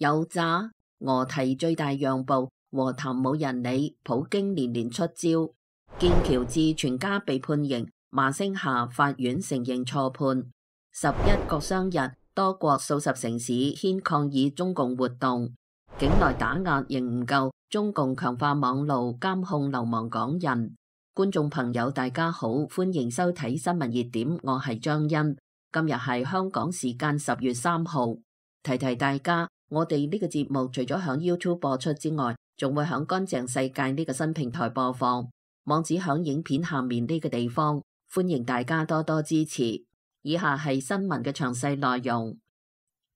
有詐，俄提最大讓步，和談冇人理，普京連連出招。劍橋智全家被判刑，罵聲下法院承認錯判。11國殤日，多國數十城市牽抗議中共活動。境內打壓仍唔夠，中共強化網路監控流亡港人。觀眾朋友大家好，歡迎收睇新聞熱點，我係張欣。今日係香港時間10月3號。提提大家，我哋呢個節目除咗響 YouTube 播出之外，仲會響乾淨世界呢個新平台播放，網址響影片下面呢個地方，歡迎大家多多支持。以下係新聞嘅詳細內容。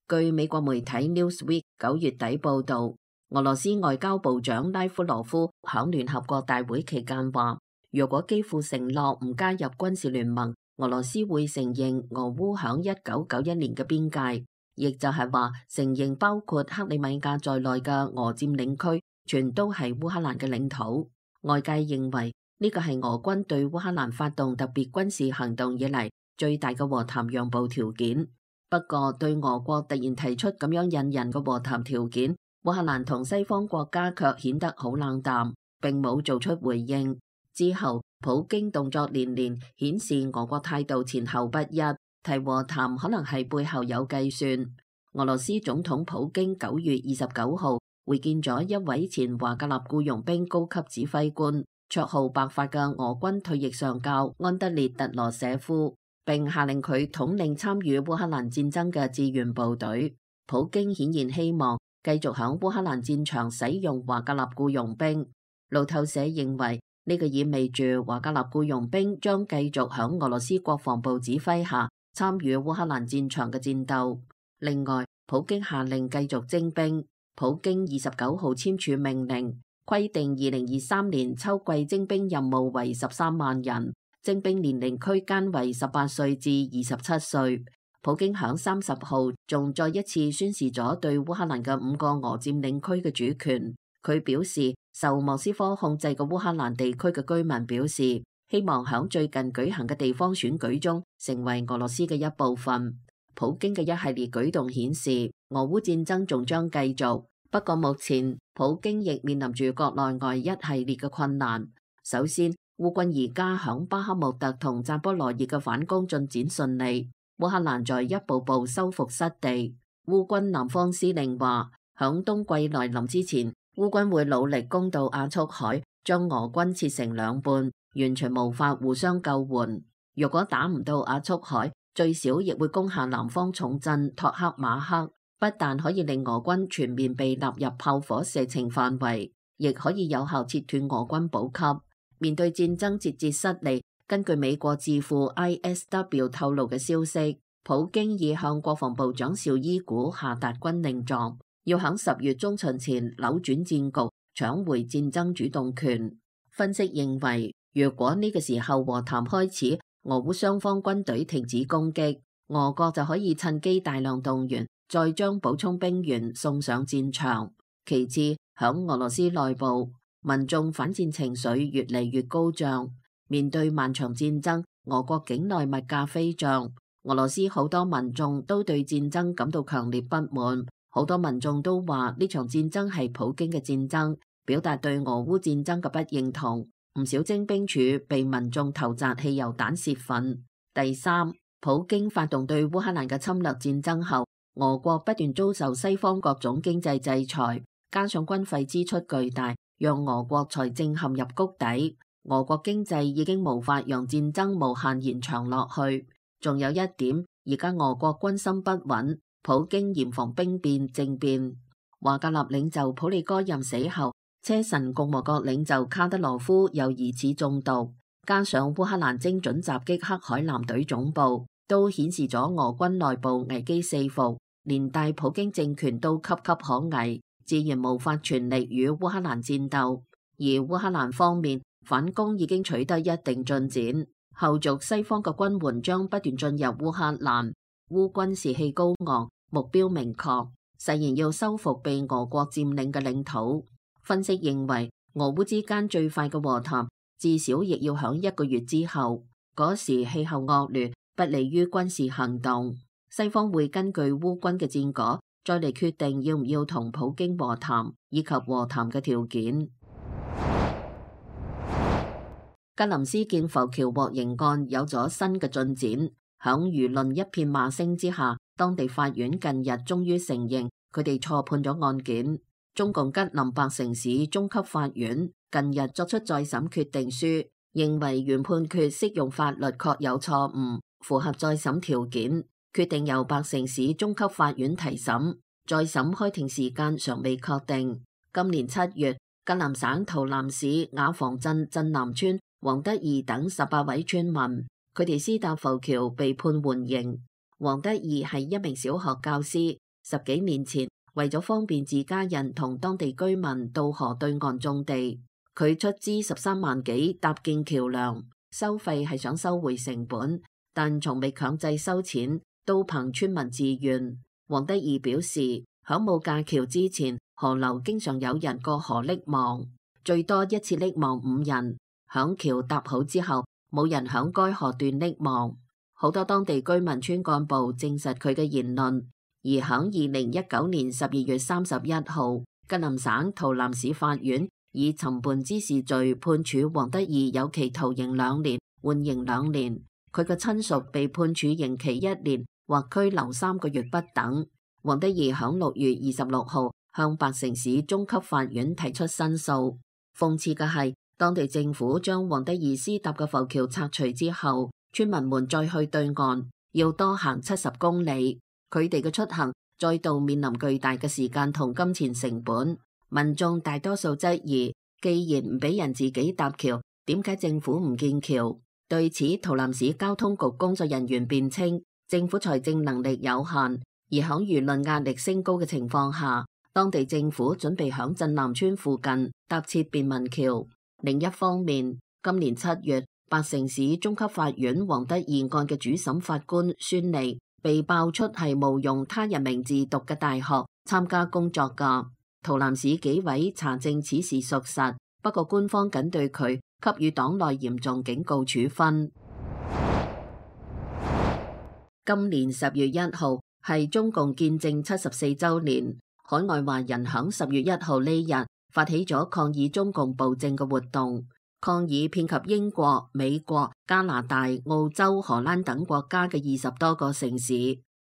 據美國媒體 Newsweek 9月底報道，俄羅斯外交部長拉夫羅夫響聯合國大會期間話，若果基輔承諾唔加入軍事聯盟，俄羅斯會承認俄烏響1991年嘅邊界，亦就係話承認包括克里米亞在內嘅俄佔領區全都係烏克蘭嘅領土。外界認為呢個係俄軍對烏克蘭發動特別軍事行動以嚟最大嘅和談讓步條件。不過對俄國突然提出咁樣引人嘅和談條件，烏克蘭同西方國家卻顯得好冷淡，並冇做出回應。之後普京動作連連，顯示俄國態度前後不一，提和談可能係背後有計算。俄羅斯總統普京9月29號會見咗一位前華格納僱傭兵高級指揮官，綽號白髮嘅俄軍退役上校安德烈特羅舍夫，並下令佢統領參與烏克蘭戰爭嘅志願部隊。普京顯然希望繼續響烏克蘭戰場使用華格納僱傭兵。路透社認為呢個意味住華格納僱傭兵將繼續響俄羅斯國防部指揮下參與烏克蘭戰場嘅戰鬥。另外，普京下令繼續徵兵。普京29號簽署命令，規定2023年秋季徵兵任務為13萬人，徵兵年齡區間為18歲至27歲。普京響30號仲再一次宣示咗對烏克蘭嘅5個俄佔領區嘅主權。佢表示，受莫斯科控制嘅烏克蘭地區嘅居民表示，希望響最近舉行嘅地方選舉中成為俄羅斯嘅一部分。普京嘅一系列舉動顯示，俄烏戰爭仲將繼續。不過目前普京亦面臨住國內外一系列嘅困難。首先，烏軍而家響巴克穆特同扎波羅熱嘅反攻進展順利，烏克蘭在一步步收復失地。烏軍南方司令話，響冬季來臨之前，烏軍會努力攻到亞速海，將俄軍切成兩半，完全無法互相救援。如果打唔到亞速海，最少亦會攻下南方重鎮托克馬克，不但可以令俄軍全面被納入炮火射程範圍，亦可以有效切斷俄軍補給。面對戰爭節節失利，根據美國智庫 ISW 透露嘅消息，普京已向國防部長紹伊古下達軍令狀，要喺10月中旬前扭轉戰局，搶回戰爭主動權。分析認為，如果呢個時候和談開始，俄烏雙方軍隊停止攻擊，俄國就可以趁機大量動員，再將補充兵員送上戰場。其次，響俄羅斯內部，民眾反戰情緒越嚟越高漲。面對漫長戰爭，俄國境內物價飛漲，俄羅斯好多民眾都對戰爭感到強烈不滿。好多民眾都話呢場戰爭係普京嘅戰爭，表達對俄烏戰爭嘅不認同。唔少徵兵處被民眾投擲汽油彈洩憤。第三，普京發動對烏克蘭嘅侵略戰爭後，俄國不斷遭受西方各種經濟制裁，加上軍費支出巨大，讓俄國財政陷入谷底。俄國經濟已經無法讓戰爭無限延長落去。仲有一點，而家俄國軍心不穩，普京嚴防兵變政變。華格納領袖普利戈任死後，車臣共和國領袖卡德羅夫又疑似中毒，加上烏克蘭精準襲擊黑海艦隊總部，都顯示咗俄軍內部危機四伏，連帶普京政權都岌岌可危，自然無法全力與烏克蘭戰鬥。而烏克蘭方面反攻已經取得一定進展，後續西方嘅軍援將不斷進入烏克蘭，烏軍士氣高昂，目標明確，誓言要收復被俄國佔領嘅領土。分析認為，俄烏之間最快嘅和談至少亦要響1個月之後，嗰時氣候惡劣，不利於軍事行動。西方會根據烏軍嘅戰果，再嚟決定要唔要同普京和談以及和談嘅條件。吉林斯建浮橋獲刑案有咗新嘅進展，響輿論一片罵聲之下，當地法院近日終於承認佢哋錯判咗案件。中共吉林白城市中級法院近日作出再審決定書，認為原判決適用法律確有錯誤，符合再審條件，決定由白城市中級法院提審。再審開庭時間尚未確定。今年7月，吉林省洮南市瓦房鎮鎮南村黃德義等18位村民，佢哋私搭浮橋被判緩刑。黃德義係一名小學教師，10幾年前為咗方便自家人同當地居民到河對岸種地，佢出資13萬幾搭建橋梁，收費係想收回成本，但從未強制收錢，都憑村民自願。黃德義表示，響冇架橋之前，河流經常有人過河溺亡，最多一次溺亡5人。響橋搭好之後，冇人響該河段溺亡。好多當地居民村幹部證實佢嘅言論。而響2019年12月31號，吉林省洮南市法院以尋叛滋事罪判處黃德義有期徒刑2年，緩刑2年。佢嘅親屬被判處刑期1年或拘留3個月不等。黃德義響6月26號向白城市中級法院提出申訴。諷刺嘅係，當地政府將黃德義私搭嘅浮橋拆除之後，村民們再去對岸要多行70公里，佢哋嘅出行再度面臨巨大嘅時間同金錢成本。民眾大多數質疑，既然唔俾人自己搭橋，點解政府唔建橋？對此，洮南市交通局工作人員辯稱，政府財政能力有限，而響輿論壓力升高嘅情況下，當地政府準備響鎮南村附近搭設便民橋。另一方面，今年7月，白城市中級法院黃德義案嘅主審法官孫利被爆出係冒用他人名字讀嘅大學參加工作噶。洮南市紀委查證此事屬實，不過官方僅對佢給予黨內嚴重警告處分。今年10月1號係中共建政74週年，海外華人響10月1號呢日發起咗抗議中共暴政嘅活動，抗議遍及英國、美國、加拿大、澳洲、荷蘭等國家嘅20多個城市。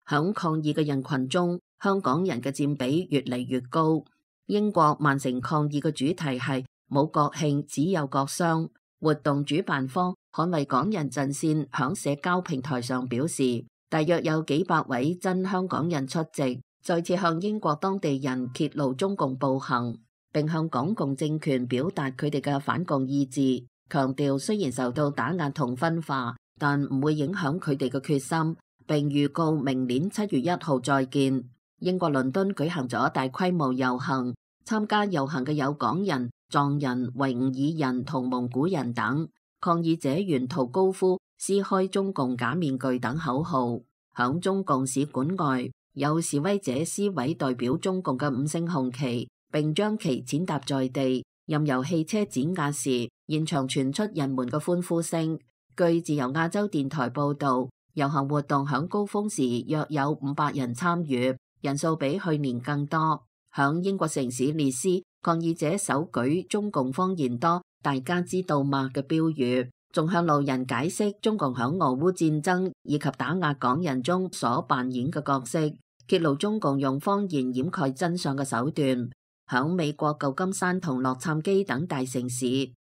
響抗議嘅人群中，香港人嘅佔比越嚟越高。英國曼城抗議嘅主題係冇國慶，只有國殤。活動主辦方捍衛港人陣線響社交平台上表示，大約有幾百位真香港人出席，再次向英國當地人揭露中共暴行，並向港共政權表達佢哋嘅反共意志，強調雖然受到打壓同分化，但唔會影響佢哋嘅決心，並預告明年7月1號再見。英國倫敦舉行咗大規模遊行，參加遊行嘅有港人、藏人、維吾爾人同蒙古人等。抗議者沿途高呼撕開中共假面具等口號。響中共使館外，有示威者撕毀代表中共嘅5星紅旗，並將其踐踏在地，任由汽車碾壓時，現場傳出人們嘅歡呼聲。據自由亞洲電台報道，遊行活動響高峰時約有500人參與，人數比去年更多。響英國城市列斯，抗議者手舉中共謊言多，大家知道嗎嘅標語，仲向路人解釋中共響俄烏戰爭以及打壓港人中所扮演嘅角色，揭露中共用謊言掩蓋真相嘅手段。響美國舊金山同洛杉磯等大城市，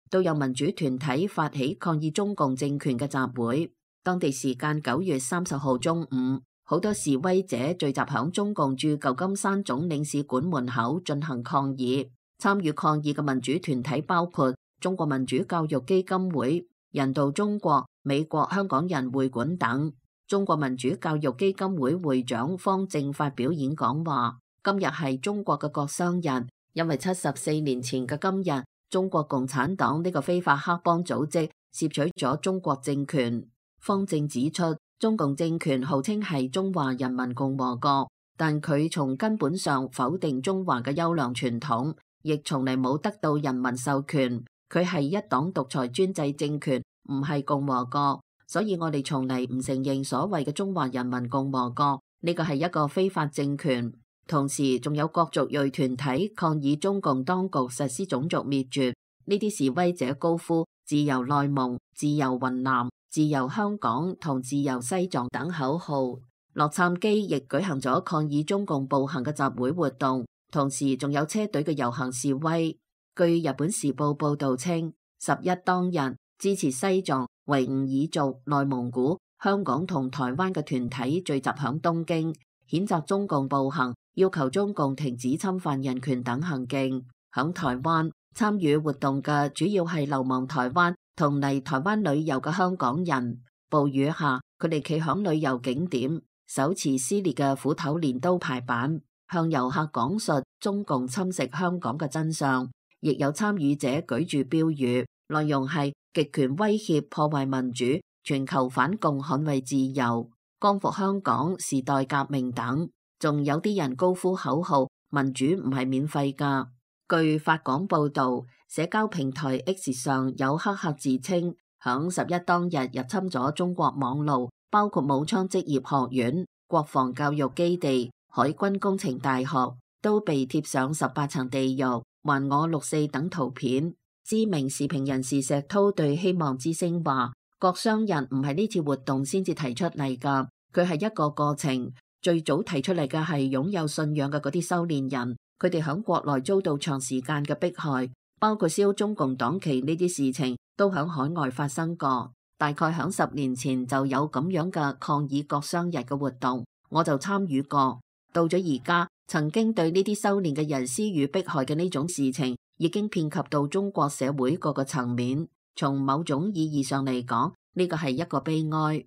都有民主團體發起抗議中共政權嘅集會。當地時間9月30號中午，好多示威者聚集響中共駐舊金山總領事館門口進行抗議。參與抗議嘅民主團體包括中國民主教育基金會、人道中國、美國香港人會館等。中國民主教育基金會會長方正發表演講話，今日係中國嘅國殤日，因為74年前嘅今日，中國共產黨呢個非法黑幫組織竊取咗中國政權。方正指出，中共政權號稱係中華人民共和國，但佢從根本上否定中華嘅優良傳統，亦從嚟冇得到人民授權。佢係一黨獨裁專制政權，唔係共和國，所以我哋從嚟唔承認所謂嘅中華人民共和國，呢個係一個非法政權。同時仲有各族裔團體抗議中共當局實施種族滅絕。呢啲示威者高呼自由內蒙、自由雲南、自由香港同自由西藏等口號。洛杉磯亦舉行咗抗議中共暴行嘅集會活動，同時仲有車隊嘅遊行示威。據日本時報報道稱，11當日支持西藏、維吾爾族、內蒙古、香港同台灣嘅團體聚集響東京，譴責中共暴行，要求中共停止侵犯人權等行徑。響台灣參與活動嘅主要係流亡台灣同嚟台灣旅遊嘅香港人。暴雨下，佢哋企響旅遊景點，手持撕裂嘅斧頭鐮刀排版，向遊客講述中共侵蝕香港嘅真相。亦有參與者舉住標語，內容係極權威脅破壞民主，全球反共捍衛自由，光復香港，時代革命等。仲有啲人高呼口號，民主唔係免費㗎。據法廣報導，社交平台 X 上有黑客自稱響11當日入侵咗中國網路，包括武裝職業學院、國防教育基地、海軍工程大學，都被貼上18層地獄、還我6.4等圖片。知名時評人士石濤對希望之聲話：各商人唔係呢次活動先至提出嚟㗎，佢係一個過程。最早提出嚟嘅係擁有信仰嘅嗰啲修煉人，佢哋響國內遭到長時間嘅迫害，包括燒中共黨旗呢啲事情都響海外發生過。大概響10年前就有咁樣嘅抗議各商日嘅活動，我就參與過。到咗而家，曾經對呢啲修煉嘅人施予迫害嘅呢種事情，已經遍及到中國社會各個層面。從某種意義上嚟講，呢個係一個悲哀。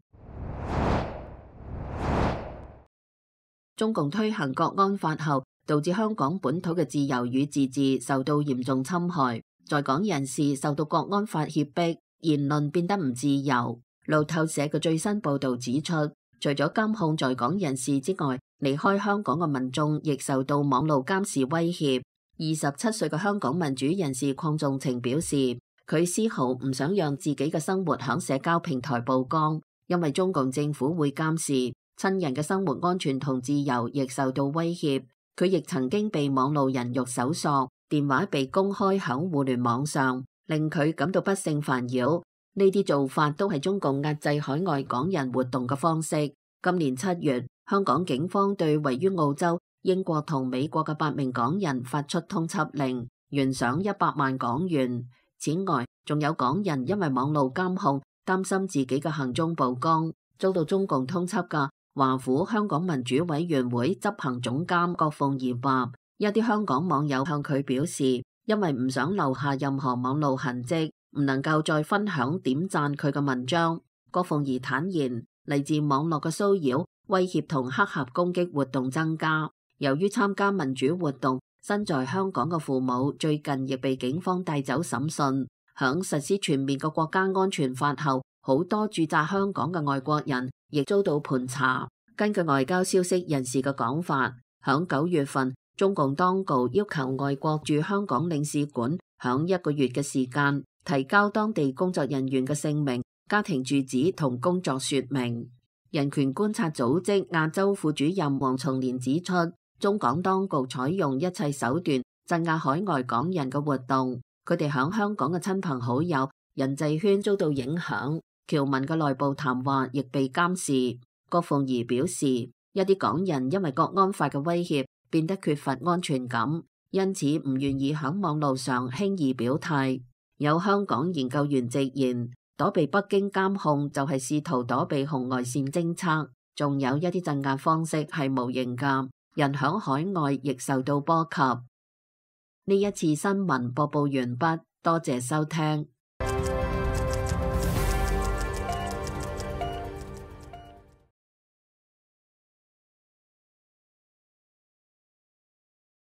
中共推行國安法後，導致香港本土嘅自由與自治受到嚴重侵害，在港人士受到國安法脅迫，言論變得唔自由。路透社嘅最新報導指出，除咗監控在港人士之外，離開香港嘅民眾亦受到網路監視威脅。27歲嘅香港民主人士鄺仲情表示，佢絲毫唔想讓自己嘅生活響社交平台曝光，因為中共政府會監視。親人嘅生活安全同自由亦受到威脅，佢亦曾經被網路人肉搜索，電話被公開響互聯網上，令佢感到不勝煩擾。呢啲做法都係中共壓制海外港人活動嘅方式。今年7月，香港警方對位於澳洲、英國同美國嘅8名港人發出通緝令，懸賞100萬港元。此外，仲有港人因為網路監控，擔心自己嘅行蹤曝光，遭到中共通緝㗎。華府香港民主委員會執行總監郭鳳儀話，一啲香港網友向佢表示，因為唔想留下任何網路痕跡，唔能夠再分享點讚佢嘅文章。郭鳳儀坦言，嚟自網絡嘅騷擾、威脅同黑客攻擊活動增加。由於參加民主活動，身在香港嘅父母最近亦被警方帶走審訊。響實施全面嘅國家安全法後，好多駐紮香港嘅外國人亦遭到盤查。根據外交消息人士嘅講法，響9月份，中共當局要求外國駐香港領事館響1個月嘅時間提交當地工作人員嘅姓名、家庭住址同工作說明。人權觀察組織亞洲副主任黃松年指出，中港當局採用一切手段鎮壓海外港人嘅活動，佢哋響香港嘅親朋好友、人際圈遭到影響，僑民嘅內部談話亦被監視。郭鳳儀表示，一啲港人因為國安法嘅威脅，變得缺乏安全感，因此唔願意喺網路上輕易表態。有香港研究員直言，躲避北京監控就係試圖躲避紅外線偵測，仲有一啲鎮壓方式係無形㗎，人響海外亦受到波及。呢一次新聞播報完畢，多謝收聽。